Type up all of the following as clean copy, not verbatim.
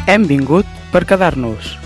Hem vingut per quedar-nos.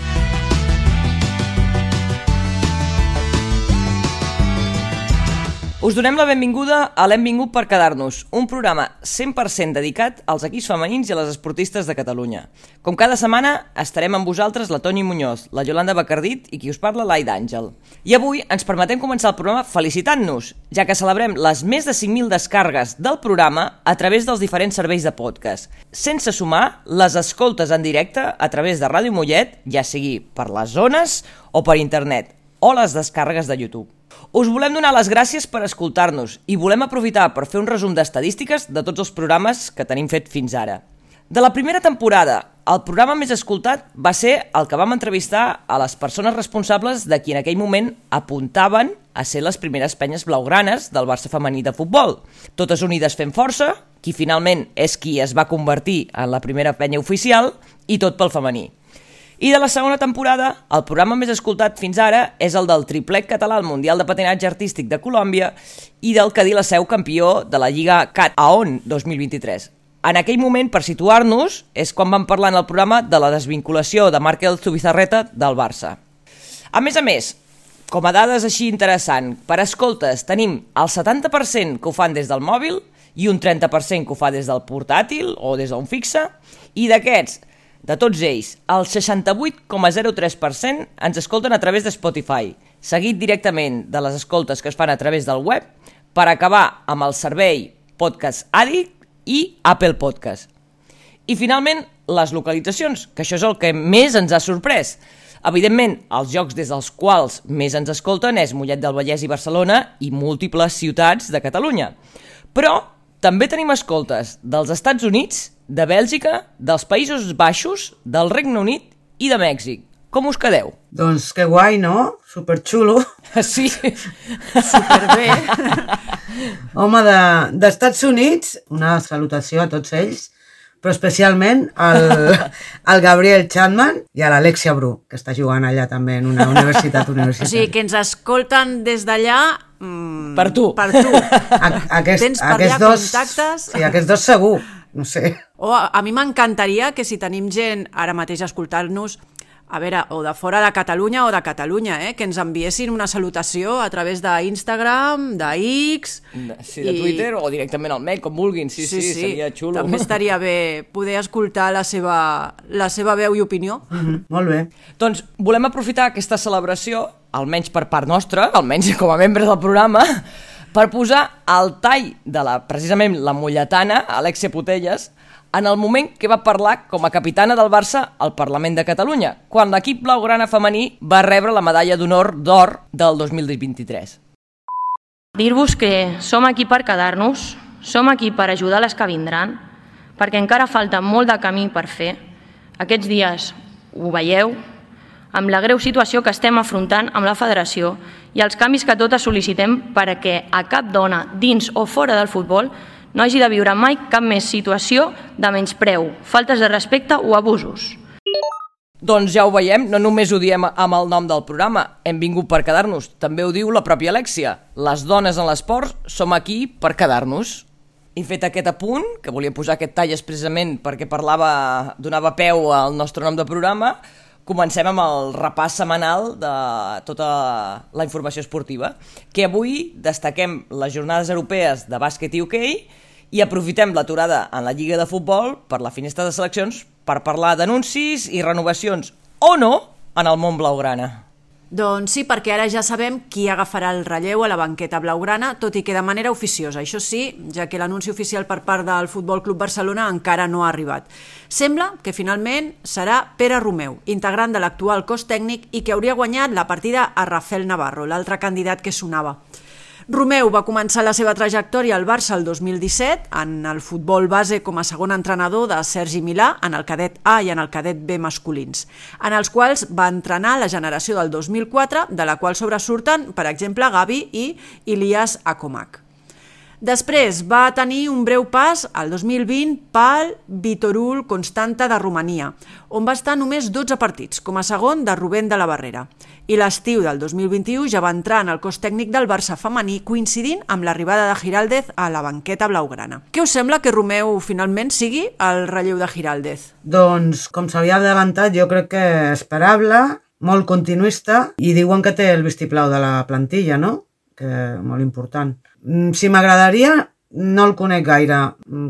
Us donem la benvinguda a l'Hem vingut per quedar-nos, un programa 100% dedicat als equips femenins i a les esportistes de Catalunya. Com cada setmana estarem amb vosaltres la Toni Muñoz, la Yolanda Bacardit i qui us parla l'Aida Àngel. I avui ens permetem començar el programa felicitant-nos, ja que celebrem les més de 5.000 descàrregues del programa a través dels diferents serveis de podcast, sense sumar les escoltes en directe a través de Ràdio Mollet, ja sigui per les zones o per internet, o les descàrregues de YouTube. Us volem donar les gràcies per escoltar-nos i volem aprofitar per fer un resum d'estadístiques de tots els programes que tenim fet fins ara. De la primera temporada, el programa més escoltat va ser el que vam entrevistar a les persones responsables de qui en aquell moment apuntaven a ser les primeres penyes blaugranes del Barça femení de futbol. Totes unides fent força, qui finalment és qui es va convertir en la primera penya oficial, i tot pel femení. I de la segona temporada, el programa més escoltat fins ara és el del triplet català al Mundial de Patinatge Artístic de Colòmbia i del Cadí la Seu campió de la Lliga CAT AON 2023. En aquell moment, per situar-nos, és quan vam parlar en el programa de la desvinculació de Márquez Zubizarreta del Barça. A més, com a dades així interessant, per escoltes tenim el 70% que ho fan des del mòbil i un 30% que ho fa des del portàtil o des d'un fixe, i d'aquests, de tots ells, el 68,03% ens escolten a través de Spotify, seguit directament de les escoltes que es fan a través del web, per acabar amb el servei Podcast Addict i Apple Podcast. I finalment, les localitzacions, que això és el que més ens ha sorprès. Evidentment, els llocs des dels quals més ens escolten és Mollet del Vallès i Barcelona i múltiples ciutats de Catalunya. Però també tenim escoltes dels Estats Units, de Bèlgica, dels Països Baixos, del Regne Unit i de Mèxic. Com us quedeu? Doncs que guai, no? Superxulo. Sí. Superbé. Home, d'Estats Units, una salutació a tots ells, però especialment al Gabriel Chapman i a l'Alexia Bru, que està jugant allà també en una universitat O sigui, que ens escolten des d'allà... Per tu. Per tu. Tens per allà contactes? Sí, aquests dos segur, no sé. O a mi m'encantaria que si tenim gent ara mateix a escoltar-nos, a veure, o de fora de Catalunya o de Catalunya, que ens enviessin una salutació a través d'Instagram, de X... Sí, de Twitter o directament al mail, com vulguin. Sí, seria xulo. També estaria bé poder escoltar la seva veu i opinió. Molt bé. Doncs volem aprofitar aquesta celebració, almenys per part nostra, almenys com a membres del programa, per posar el tall de precisament la molletana, Alexia Putellas, en el moment que va parlar com a capitana del Barça al Parlament de Catalunya, quan l'equip blaugrana femení va rebre la medalla d'honor d'or del 2023. Dir-vos que som aquí per quedar-nos, som aquí per ajudar les que vindran, perquè encara falta molt de camí per fer. Aquests dies ho veieu, amb la greu situació que estem afrontant amb la federació i els canvis que totes sol·licitem perquè a cap dona, dins o fora del futbol, no hagi de viure mai cap més situació de menyspreu, faltes de respecte o abusos. Doncs ja ho veiem, no només ho diem amb el nom del programa, hem vingut per quedar-nos, també ho diu la pròpia Alexia. Les dones en l'esport som aquí per quedar-nos. I fet aquest apunt, que volia posar aquest tall expressament perquè donava peu al nostre nom de programa, comencem amb el repàs setmanal de tota la informació esportiva, que avui destaquem les jornades europees de bàsquet i hoquei i aprofitem l'aturada en la Lliga de Futbol per la finestra de seleccions per parlar d'anuncis i renovacions, o no, en el món blaugrana. Doncs sí, perquè ara ja sabem qui agafarà el relleu a la banqueta blaugrana, tot i que de manera oficiosa, això sí, ja que l'anunci oficial per part del Futbol Club Barcelona encara no ha arribat. Sembla que finalment serà Pere Romeu, integrant de l'actual cos tècnic i que hauria guanyat la partida a Rafael Navarro, l'altre candidat que sonava. Romeu va començar la seva trajectòria al Barça el 2017, en el futbol base com a segon entrenador de Sergi Milà, en el cadet A i en el cadet B masculins, en els quals va entrenar la generació del 2004, de la qual sobresurten, per exemple, Gavi i Ilias Akomak. Després va tenir un breu pas al 2020 pel Viitorul Constanta de Romania, on va estar només 12 partits, com a segon de Rubén de la Barrera. I l'estiu del 2021 ja va entrar en el cos tècnic del Barça femení, coincidint amb l'arribada de Giraldez a la banqueta blaugrana. Què us sembla que Romeu finalment sigui el relleu de Giraldez? Doncs, com s'havia adelantat, jo crec que esperable, molt continuista, i diuen que té el vistiplau de la plantilla, no? Que molt important. Si m'agradaria, no el conec gaire.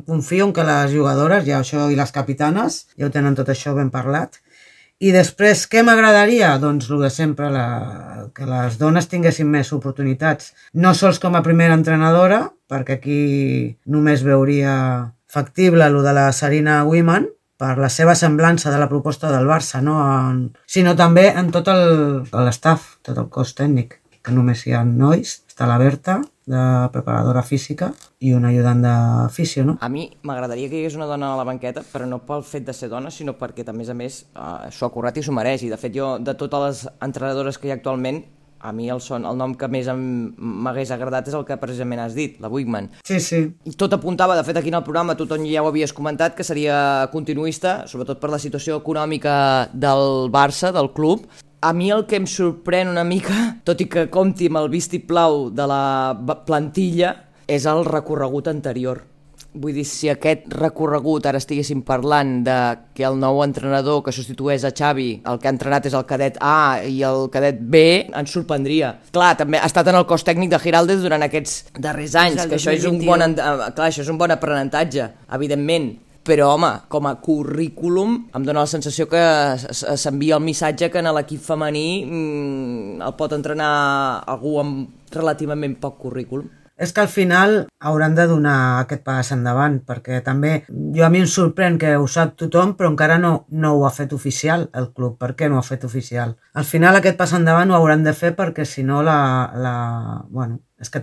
Confio en que les jugadores, ja això, i les capitanes, ja ho tenen tot això ben parlat. I després, què m'agradaria? Doncs el de sempre, que les dones tinguessin més oportunitats. No sols com a primera entrenadora, perquè aquí només veuria factible el de la Sarina Wiman, per la seva semblança de la proposta del Barça, no? Sinó també en tot l'estaf, tot el cos tècnic, que només hi ha nois. Està la Berta, de preparadora física, i un ajudant d'afició, no? A mi m'agradaria que hi hagués una dona a la banqueta, però no pel fet de ser dona, sinó perquè, a més, s'ho ha currat i s'ho mereix. I, de fet, jo, de totes les entrenadores que hi ha actualment, a mi el nom que més m'hagués agradat és el que precisament has dit, la Wiegman. Sí, sí. Tot apuntava, de fet, aquí en el programa, tothom ja ho havies comentat, que seria continuista, sobretot per la situació econòmica del Barça, del club. A mi el que em sorprèn una mica, tot i que compti amb el vistiplau de la plantilla, és el recorregut anterior. Vull dir, si aquest recorregut ara estiguéssim parlant de que el nou entrenador que substitueix a Xavi, el que ha entrenat és el cadet A i el cadet B, ens sorprendria. Clar, també ha estat en el cos tècnic de Giraldez durant aquests darrers anys, que això és un bon aprenentatge, evidentment. Però, home, com a currículum em dóna la sensació que s'envia el missatge que en l'equip femení el pot entrenar algú amb relativament poc currículum. És que al final hauran de donar aquest pas endavant, perquè també a mi em sorprèn que ho sap tothom, però encara no ho ha fet oficial el club. Per què no ho ha fet oficial? Al final aquest pas endavant ho hauran de fer perquè si no bueno, és que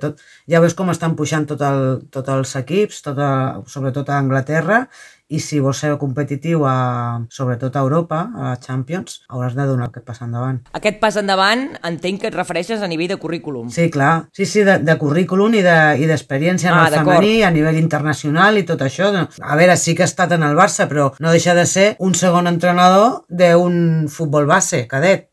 ja veus com estan pujant tots els equips, sobretot a Anglaterra, i si vols ser competitiu sobretot a Europa, a la Champions, hauràs de donar aquest pas endavant. Aquest pas endavant entenc que et refereixes a nivell de currículum. Sí, clar. Sí, de currículum i d'experiència en el femení, a nivell internacional i tot això. A veure, sí que ha estat en el Barça, però no deixa de ser un segon entrenador d'un futbol base, cadet.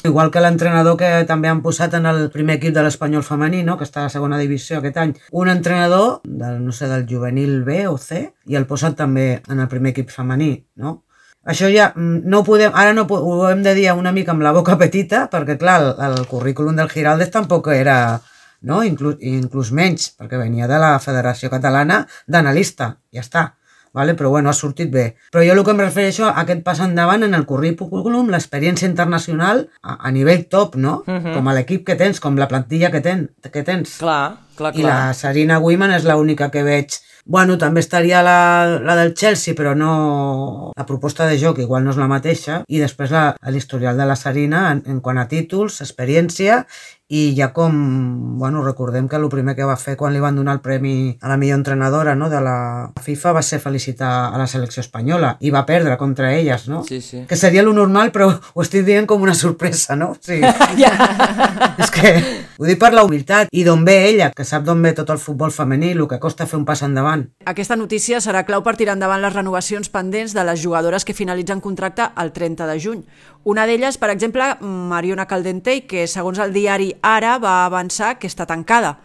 Igual que l'entrenador que també han posat en el primer equip de l'Espanyol femení, no? Que està a la segona divisió aquest any, un entrenador del juvenil B o C, i el posen també en el primer equip femení, no? Això ja no ho podem, ara no ho hem de dir una mica amb la boca petita, perquè clar, el currículum del Giraldez tampoc era, no? Inclús menys, perquè venia de la Federació Catalana d'analista, ja està. Vale? Però bueno, ha sortit bé. Però jo el que em refereixo a aquest pas endavant en el currículum, l'experiència internacional a nivell top, no? Com a l'equip que tens, com la plantilla que tens. Clar. I la Sarina Wiman és l'única que veig. Bueno, també estaria la del Chelsea, però no... La proposta de joc igual no és la mateixa. I després l'historial de la Sarina en quant a títols, experiència, i ja com, bueno, recordem que el primer que va fer quan li van donar el premi a la millor entrenadora, no, de la FIFA va ser felicitar a la selecció espanyola i va perdre contra elles, no? Sí, sí. Que seria lo normal, però ho estic dient com una sorpresa, no? Sí. És que ho dic per la humilitat i d'on ve ella, que sap d'on ve tot el futbol femení, el que costa fer un pas endavant. Aquesta notícia serà clau per tirar endavant les renovacions pendents de les jugadores que finalitzen contracte el 30 de juny. Una d'elles, per exemple, Mariona Caldentey, que segons el diari Ara va avançar que està tancada.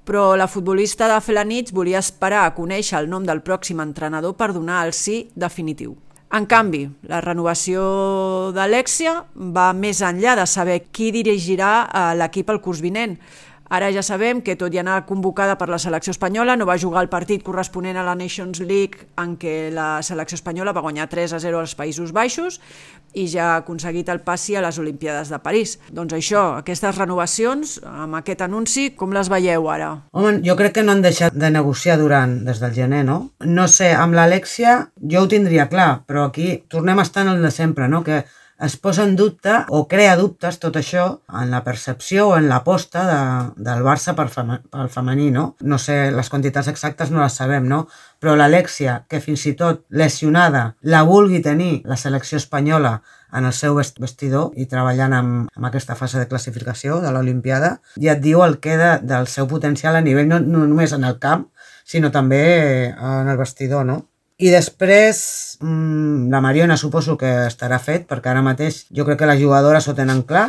Però la futbolista de Felanitx volia esperar a conèixer el nom del pròxim entrenador per donar el sí definitiu. En canvi, la renovació d'Alexia va més enllà de saber qui dirigirà l'equip el curs vinent. Ara ja sabem que, tot i anar convocada per la selecció espanyola, no va jugar el partit corresponent a la Nations League en què la selecció espanyola va guanyar 3-0 als Països Baixos i ja ha aconseguit el passi a les Olimpiades de París. Doncs això, aquestes renovacions, amb aquest anunci, com les veieu ara? Home, jo crec que no han deixat de negociar des del gener, no? No sé, amb l'Alexia jo ho tindria clar, però aquí tornem a estar en el de sempre, no? Que es posa en dubte o crea dubtes tot això en la percepció o en l'aposta del Barça pel femení, no? No sé, les quantitats exactes no les sabem, no? Però l'Alexia, que fins i tot lesionada la vulgui tenir la selecció espanyola en el seu vestidor i treballant amb aquesta fase de classificació de l'Olimpiada, ja et diu el que del seu potencial a nivell no només en el camp, sinó també en el vestidor, no? I després, la Mariona suposo que estarà fet, perquè ara mateix jo crec que les jugadores ho tenen clar.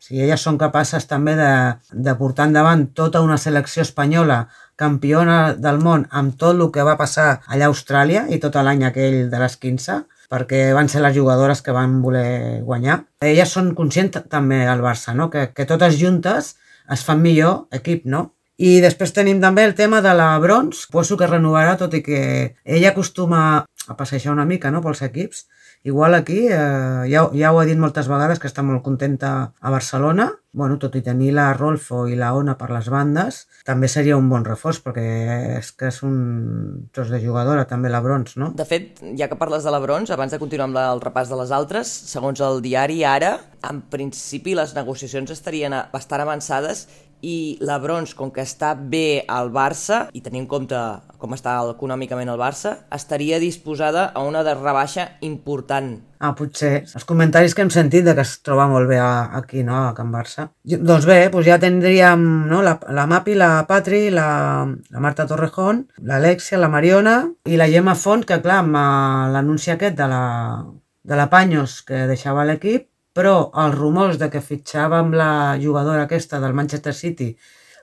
Si elles són capaces també de portar endavant tota una selecció espanyola campiona del món amb tot el que va passar allà a Austràlia i tot l'any aquell de les 15, perquè van ser les jugadores que van voler guanyar. Elles són conscients també al Barça, no? Que totes juntes es fan millor equip, no? I després tenim també el tema de la Brons, suposo que renovarà, tot i que ella acostuma a passejar una mica, no?, pels equips. Igual aquí, ja ho ha dit moltes vegades, que està molt contenta a Barcelona. Bueno, tot i tenir la Rolfo i la Ona per les bandes, també seria un bon reforç, perquè és que és un tros de jugadora, també la Brons, no? De fet, ja que parles de la Brons, abans de continuar amb el repàs de les altres, segons el diari Ara, en principi les negociacions estarien bastant avançades i la Brons, com que està bé al Barça, i tenint en compte com està econòmicament el Barça, estaria disposada a una de rebaixa important. Potser. Els comentaris que hem sentit de que es troba molt bé aquí, no?, a Can Barça. Doncs bé, doncs ja tindríem, no?, la Mapi, la Patri, la Marta Torrejón, l'Alexia, la Mariona i la Gemma Font, que clar, amb l'anunci aquest de la Paños que deixava l'equip, però els rumors de que fitxava amb la jugadora aquesta del Manchester City,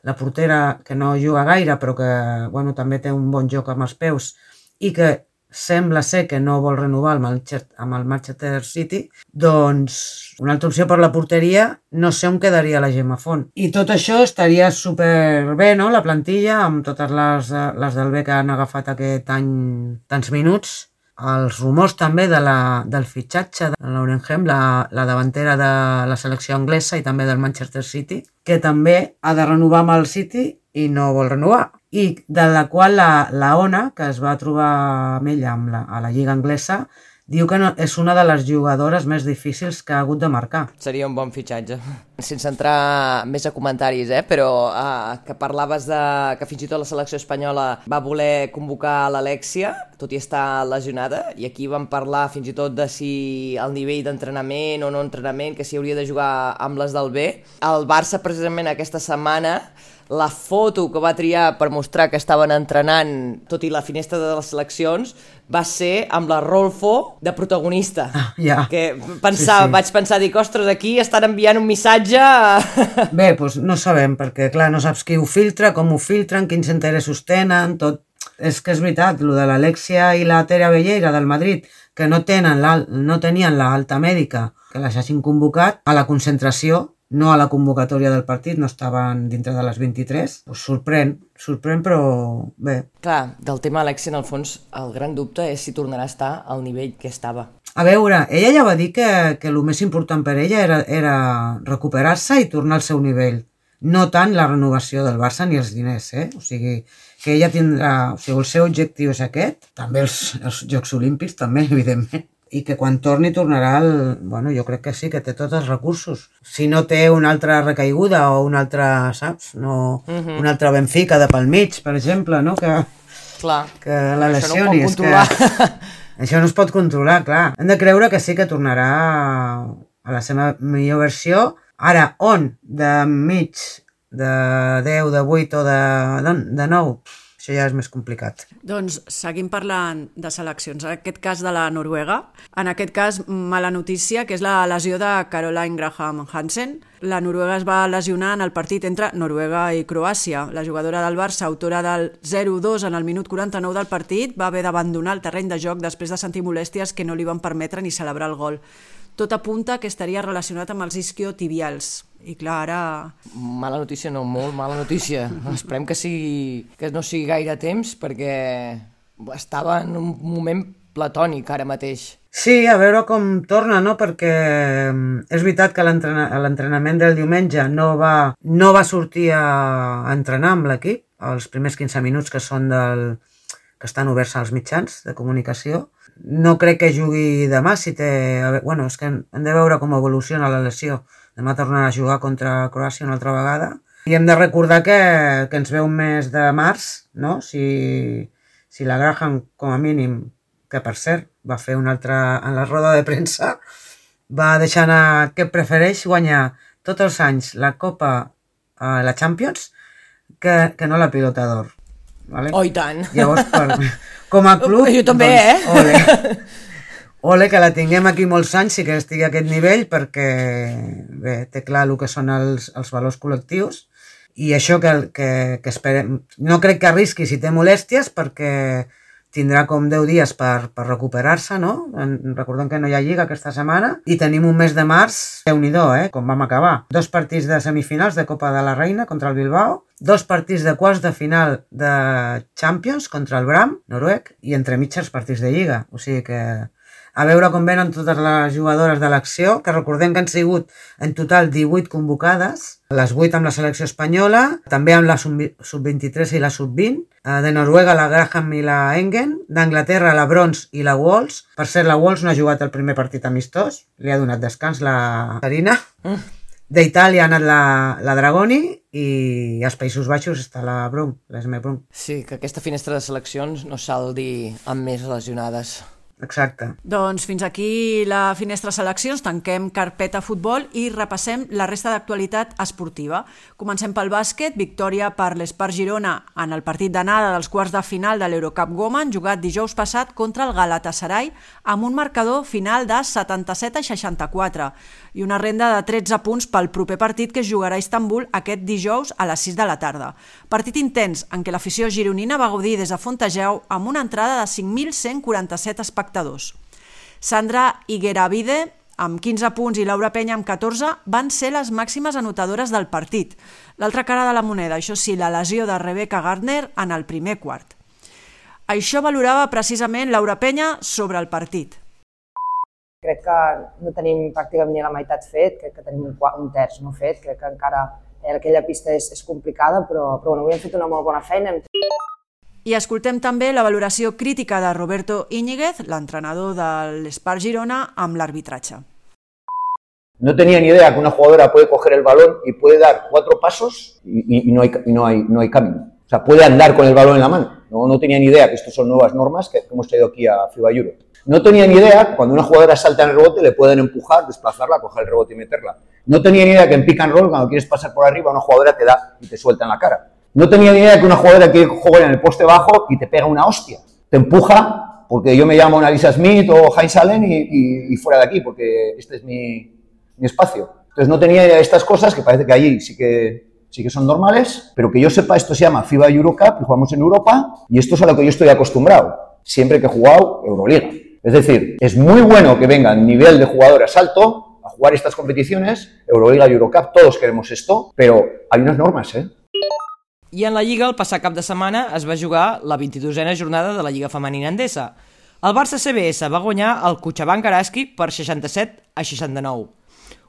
la portera que no juga gaire però que bueno, també té un bon joc amb els peus i que sembla ser que no vol renovar amb el Manchester City, doncs una altra opció per la porteria no sé on quedaria la Gemma Font. I tot això estaria superbé, no?, la plantilla, amb totes les del B que han agafat aquest any tants minuts. Els rumors també del fitxatge de Lauren Hem, la davantera de la selecció anglesa i també del Manchester City, que també ha de renovar amb el City i no vol renovar. I de la qual la Ona, que es va trobar amb ella a la Lliga Anglesa, diu que és una de les jugadores més difícils que ha hagut de marcar. Seria un bon fitxatge. Sense entrar més a comentaris, però que parlaves que fins i tot la selecció espanyola va voler convocar l'Alexia, tot i estar lesionada, i aquí vam parlar fins i tot de si el nivell d'entrenament o no entrenament, que s'hi hauria de jugar amb les del B. El Barça, precisament aquesta setmana, la foto que va triar per mostrar que estaven entrenant, tot i la finestra de les seleccions, va ser amb la Rolfo de protagonista. Que vaig pensar, dic, ostres, aquí estan enviant un missatge... Bé, doncs no sabem, perquè clar, no saps qui ho filtra, com ho filtren, quins interessos tenen, tot. És que és veritat, el de l'Alexia i la Tere Abelleira del Madrid, que no tenien l'alta mèdica, que les hagin convocat a la concentració, no a la convocatòria del partit, no estaven dintre de les 23, doncs sorprèn, però bé. Clar, del tema Alexia, en el fons, el gran dubte és si tornarà a estar al nivell que estava. A veure, ella ja va dir que el més important per ella era recuperar-se i tornar al seu nivell, no tant la renovació del Barça ni els diners, O sigui, que ella tindrà... O sigui, el seu objectiu és aquest, també els Jocs Olímpics, també, evidentment, i que quan tornarà bueno, jo crec que sí, que té tots els recursos. Si no té una altra recaiguda o una altra, saps? No, una altra Benfica de pel mig, per exemple, no? Que la lesioni. Això no es pot controlar, clar. Hem de creure que sí que tornarà a la seva millor versió. Ara, on? De mig, de 10, de 8 o de 9? Això ja és més complicat. Doncs seguim parlant de seleccions. En aquest cas de la Noruega. En aquest cas, mala notícia, que és la lesió de Caroline Graham Hansen. La Noruega es va lesionar en el partit entre Noruega i Croàcia. La jugadora del Barça, autora del 0-2 en el minut 49 del partit, va haver d'abandonar el terreny de joc després de sentir molèsties que no li van permetre ni celebrar el gol. Tot apunta que estaria relacionat amb els isquiotibials. I clar, ara... Mala notícia, no, molt mala notícia. Esperem que no sigui gaire temps, perquè estava en un moment platònic ara mateix. Sí, a veure com torna, no? Perquè és veritat que l'entrenament del diumenge no va sortir a entrenar amb l'equip, els primers 15 minuts que estan oberts als mitjans de comunicació. No crec que jugui demà, Bueno, és que hem de veure com evoluciona la lesió. Demà tornarà a jugar contra Croàcia una altra vegada. I hem de recordar que ens ve un mes de març, no? Si la Graham, com a mínim, que per cert va fer una altra en la roda de premsa, va deixar anar que prefereix guanyar tots els anys la Copa, la Champions, que no la Pilota d'Or. Vale? Oh, i tant. Llavors, com a club... Jo també, doncs, ole, que la tinguem aquí molts anys i que estigui a aquest nivell, perquè bé, té clar el que són els valors col·lectius, i això que esperem... No crec que arrisqui si té molèsties, perquè tindrà com 10 dies per recuperar-se, no? Recordem que no hi ha lliga aquesta setmana, i tenim un mes de març, Déu-n'hi-do, com vam acabar. 2 partits de semifinals de Copa de la Reina contra el Bilbao, 2 partits de quarts de final de Champions contra el Bram, noruec, i entre mitges partits de lliga. O sigui que a veure com venen totes les jugadores de l'acció, que recordem que han sigut en total 18 convocades, les 8 amb la selecció espanyola, també amb la sub-23 i la sub-20, de Noruega la Graham i la Engen, d'Anglaterra la Brons i la Walls. Per cert, la Walls no ha jugat el primer partit amistós, li ha donat descans la Sarina. D'Itàlia ha anat la Dragoni i als Països Baixos està la Brun, l'Esme Brun. Sí, que aquesta finestra de seleccions no saldi amb més lesionades. Exacte. Doncs fins aquí la finestra seleccions, tanquem carpeta futbol i repassem la resta d'actualitat esportiva. Comencem pel bàsquet, victòria per l'Espart Girona en el partit d'anada dels quarts de final de l'Eurocup Women, jugat dijous passat contra el Galatasaray amb un marcador final de 77-64 i una renda de 13 punts pel proper partit que es jugarà a Istanbul aquest dijous a les 6 de la tarda. Partit intens en què l'afició gironina va gaudir des de Fontegeu amb una entrada de 5.147 espectadors. Sandra Higueravide, amb 15 punts, i Laura Penya, amb 14, van ser les màximes anotadores del partit. L'altra cara de la moneda, això sí, la lesió de Rebecca Gardner en el primer quart. Això valorava precisament Laura Penya sobre el partit. Crec que no tenim pràcticament ni la meitat fet, crec que tenim un terç no fet, crec que encara aquella pista és complicada, però bueno, avui hem fet una molt bona feina. I escoltem també la valoració crítica de Roberto Íñiguez, l'entrenador de l'Espart Girona, amb l'arbitratge. No tenía ni idea que una jugadora puede coger el balón y puede dar 4 pasos y no hay camino. O sea, puede andar con el balón en la mano. No tenía ni idea que estas son nuevas normas que hemos traído aquí a FIBA Euro. No tenía ni idea que cuando una jugadora salta en el rebote le pueden empujar, desplazarla, coger el rebote y meterla. No tenía ni idea que en pick and roll, cuando quieres pasar por arriba, una jugadora te da y te suelta en la cara. No tenía ni idea que una jugadora que juega en el poste bajo y te pega una hostia. Te empuja porque yo me llamo Annalisa Smith o Heinz Allen y fuera de aquí, porque este es mi espacio. Entonces no tenía idea de estas cosas, que parece que allí sí que son normales, pero que yo sepa, esto se llama FIBA Eurocup y jugamos en Europa y esto es a lo que yo estoy acostumbrado, siempre que he jugado Euroliga. Es decir, es muy bueno que vengan nivel de jugadoras alto a jugar estas competiciones, Euroliga y Eurocup, todos queremos esto, pero hay unas normas, I en la Lliga, el passat cap de setmana, es va jugar la 22a jornada de la Lliga Femenina Endesa. El Barça CBS va guanyar el Cotxabank Araski per 67-69.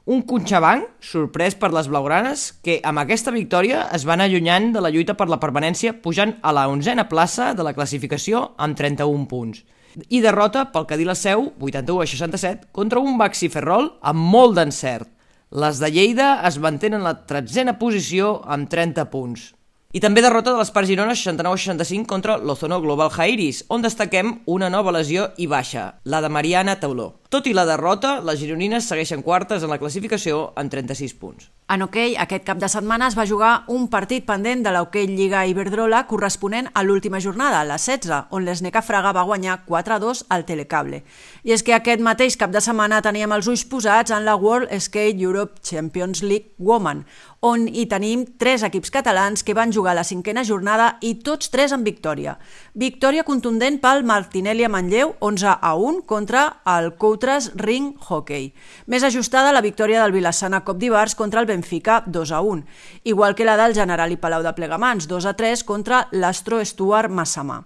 Un Cotxabank sorprès per les blaugranes que amb aquesta victòria es van allunyant de la lluita per la permanència, pujant a la 11a plaça de la classificació amb 31 punts. I derrota pel Cadí la Seu, 81-67, contra un Baxi Ferrol amb molt d'encert. Les de Lleida es mantenen en la 13a posició amb 30 punts. I també derrota de l'Espart Girona 69-65 contra l'Ozono Global Jairis, on destaquem una nova lesió i baixa, la de Mariana Tauló. Tot i la derrota, les gironines segueixen quartes en la classificació amb 36 punts. En hoquei, aquest cap de setmana es va jugar un partit pendent de l'Hoquei Lliga Iberdrola corresponent a l'última jornada, la 16, on l'Sneca Fraga va guanyar 4-2 al Telecable. I és que aquest mateix cap de setmana teníem els ulls posats en la World Skate Europe Champions League Women, on hi tenim 3 equips catalans que van jugar la 5a jornada i tots 3 amb victòria. Victòria contundent pel Martinelli a Manlleu, 11-1 contra el Coutres Ring Hockey. Més ajustada la victòria del Vilassana Cop d'Ivars contra el Benfica, 2-1, igual que la del Generali Palau de Plegamans, 2-3 contra l'Astro Stuart Massamà.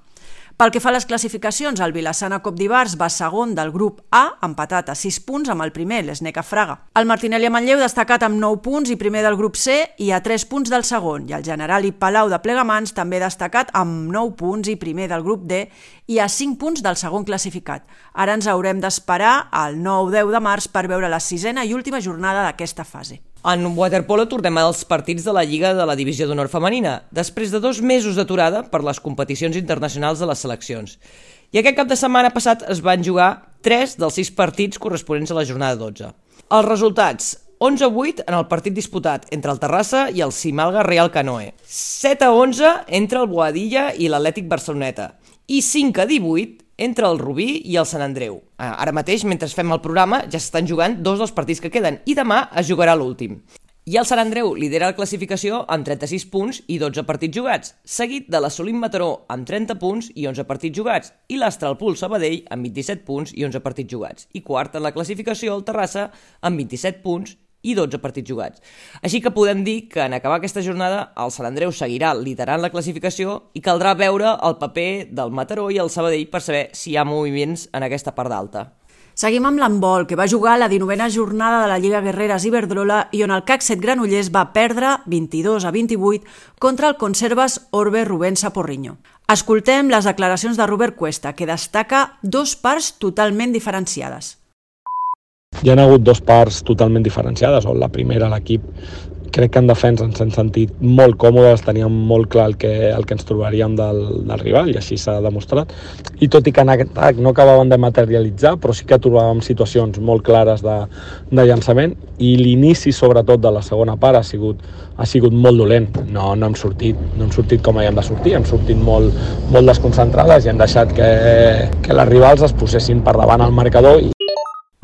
Pel que fa a les classificacions, el Vilassana Cop d'Ivars va segon del grup A, empatat a 6 punts amb el primer, l'Sneca Fraga. El Martinelli a Manlleu destacat amb 9 punts i primer del grup C i a 3 punts del segon, i el Generali Palau de Plegamans també destacat amb 9 punts i primer del grup D i a 5 punts del segon classificat. Ara ens haurem d'esperar al 9-10 de març per veure la 6a i última jornada d'aquesta fase. En waterpolo tornem als partits de la Lliga de la Divisió d'Honor Femenina, després de 2 mesos d'aturada per les competicions internacionals de les seleccions. I aquest cap de setmana passat es van jugar 3 dels 6 partits corresponents a la jornada 12. Els resultats: 11-8 en el partit disputat entre el Terrassa i el Simalga Real Canoe, 7-11 entre el Boadilla i l'Atlètic Barceloneta i 5-18 entre el Rubí i el Sant Andreu. Ara mateix, mentre fem el programa, ja s'estan jugant 2 dels partits que queden i demà es jugarà l'últim. I el Sant Andreu lidera la classificació amb 36 punts i 12 partits jugats, seguit de l'Assolim Mataró amb 30 punts i 11 partits jugats, i l'Astralpool Sabadell amb 27 punts i 11 partits jugats, i quart en la classificació el Terrassa amb 27 punts i 12 partits jugats. Així que podem dir que en acabar aquesta jornada el Sant Andreu seguirà liderant la classificació i caldrà veure el paper del Mataró i el Sabadell per saber si hi ha moviments en aquesta part d'alta. Seguim amb l'handbol, que va jugar la 19a jornada de la Lliga Guerreres Iberdrola i on el CAC 7 Granollers va perdre 22-28 contra el Conservas Orbe Rubensa Porriño. Escoltem les declaracions de Robert Cuesta, que destaca 2 parts totalment diferenciades. Hi ha hagut 2 parts totalment diferenciades, on la primera l'equip crec que en defensa ens hem sentit molt còmodes, teníem molt clar el que ens trobaríem del rival i així s'ha demostrat. I tot i que en atac no acabaven de materialitzar, però sí que trobàvem situacions molt clares de llançament i l'inici sobretot de la segona part ha sigut molt dolent. No hem sortit com havíem de sortir, hem sortit molt desconcentrades i hem deixat que les rivals es posessin per davant al marcador.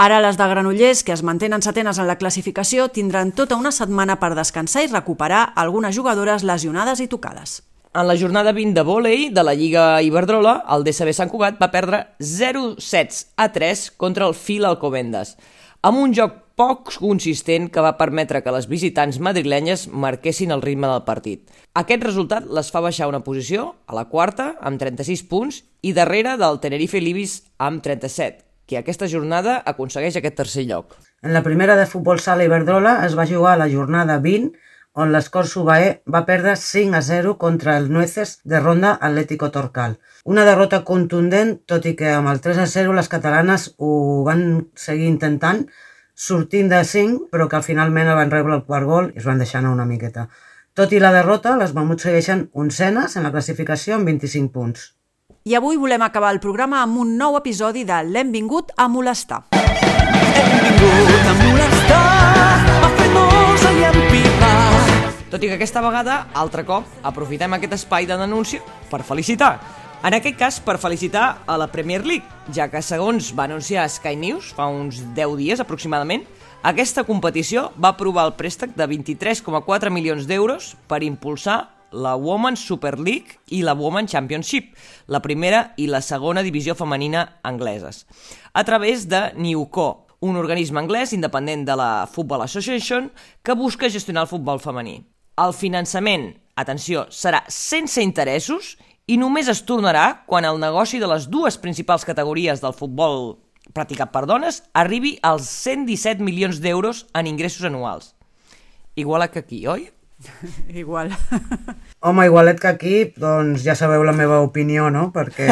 Ara les de Granollers, que es mantenen setenes en la classificació, tindran tota una setmana per descansar i recuperar algunes jugadores lesionades i tocades. En la jornada 20 de vòlei de la Lliga Iberdrola, el DSB Sant Cugat va perdre 0-7-3 contra el FIL Alcobendas, amb un joc poc consistent que va permetre que les visitants madrilenyes marquessin el ritme del partit. Aquest resultat les fa baixar una posició, a la quarta, amb 36 punts, i darrere del Tenerife Libis amb 37, que aquesta jornada aconsegueix aquest tercer lloc. En la primera de futbol sala Iberdrola es va jugar la jornada 20, on l'Escort Subaé va perdre 5-0 contra el Nueces de Ronda Atlético Torcal. Una derrota contundent, tot i que amb el 3-0 les catalanes ho van seguir intentant, sortint de 5, però que finalment el van rebre el quart gol i es van deixar anar una miqueta. Tot i la derrota, les mamuts segueixen oncenes en la classificació amb 25 punts. I avui volem acabar el programa amb un nou episodi de L'hem vingut a molestar. Hem vingut a molestar, a fer nosa i empipar. Tot i que aquesta vegada, altre cop, aprofitem aquest espai de denúncia per felicitar. En aquest cas, per felicitar a la Premier League, ja que segons va anunciar Sky News fa uns 10 dies aproximadament, aquesta competició va aprovar el préstec de 23,4 milions d'euros per impulsar la Women's Super League i la Women's Championship, la primera i la segona divisió femenina angleses, a través de Newco, un organisme anglès independent de la Football Association que busca gestionar el futbol femení. El finançament, atenció, serà sense interessos i només es tornarà quan el negoci de les 2 principals categories del futbol practicat per dones arribi als 117 milions d'euros en ingressos anuals. Igual que aquí, oi? Igual. Home, igualet que aquí, doncs ja sabeu la meva opinió, no? Perquè,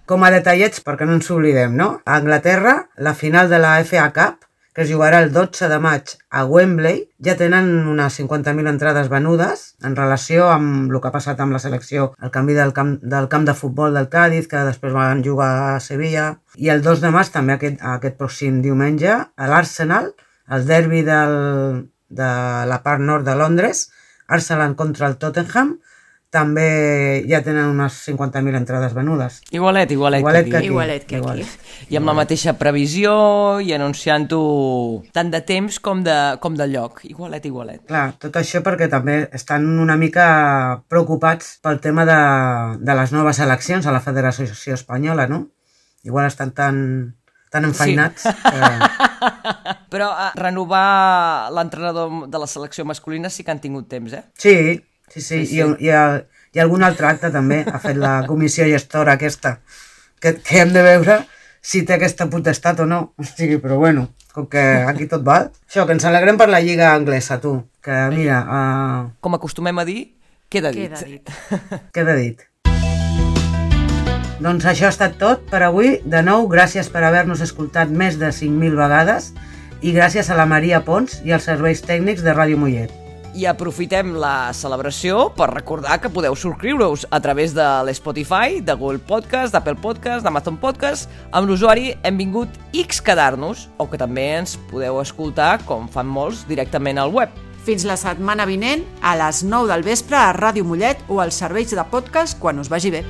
com a detallets, perquè no ens oblidem, no? A Anglaterra, la final de la FA Cup, que es jugarà el 12 de maig a Wembley, ja tenen unes 50.000 entrades venudes en relació amb el que ha passat amb la selecció, el canvi del camp de futbol del Cádiz, que després van jugar a Sevilla, i el 2 de maig, també aquest pròxim diumenge, a l'Arsenal, el derbi de la part nord de Londres, Arsenal contra el Tottenham, també ja tenen unes 50.000 entrades venudes. Igualet que aquí. I amb la mateixa previsió i anunciant-ho tant de temps com de lloc. Igualet. Clar, tot això perquè també estan una mica preocupats pel tema de les noves eleccions a la Federació Espanyola, no? Igual estan tan enfeinats. Sí. Però renovar l'entrenador de la selecció masculina sí que han tingut temps, eh? Sí. I algun altre acte també ha fet la comissió gestora aquesta, que hem de veure si té aquesta potestat o no. O sigui, però bueno, com que aquí tot val. Això, que ens alegrem per la lliga anglesa, tu. Que mira... Com acostumem a dir, queda dit. Queda dit. Doncs això ha estat tot per avui. De nou, gràcies per haver-nos escoltat més de 5.000 vegades i gràcies a la Maria Pons i als serveis tècnics de Ràdio Mollet. I aprofitem la celebració per recordar que podeu subscriure-us a través de l'Spotify, de Google Podcast, d'Apple Podcast, d'Amazon Podcast, amb l'usuari hem vingut X quedar-nos, o que també ens podeu escoltar, com fan molts, directament al web. Fins la setmana vinent, a les 9 del vespre a Ràdio Mollet o als serveis de podcast quan us vagi bé.